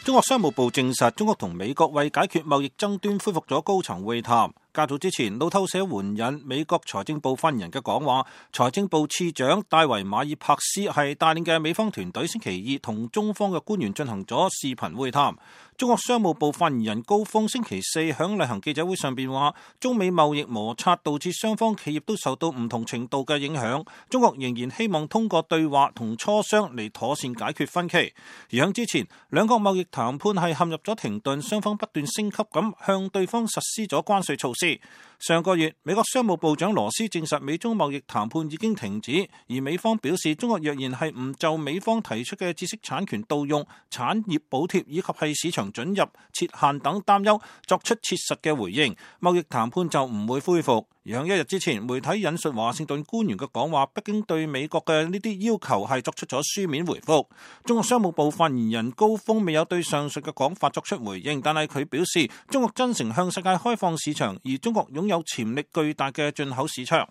中國商務部證實，中國同美國為解決貿易爭端恢復咗高層會談。較早之前，路透社援引美國財政部發言人嘅講話，財政部次長戴維馬爾帕斯係帶領嘅美方團隊星期二同中方嘅官員進行咗視頻會談。中國商務部發言人高峰星期四響例行記者會上邊話，中美貿易摩擦導致雙方企業都受到唔同程度嘅影響，中國仍然希望通過對話同磋商嚟妥善解決分歧。而響之前，兩國貿易談判係陷入咗停頓，雙方不斷升級咁向對方實施咗關稅措施。上個月，美國商務部長羅斯證實美中貿易談判已經停止，而美方表示，中國若然係唔就美方提出嘅知識產權盜用、產業補貼以及係市場准入設限等擔憂作出切實嘅回應，貿易談判就唔會恢復。而喺一日之前，媒體引述華盛頓官員嘅講話，北京對美國嘅呢啲要求係作出咗書面回覆。中國商務部發言人高峰未有對上述嘅講法作出回應，但係佢表示，中國真誠向世界開放市場，而中國擁有潛力巨大嘅進口市場。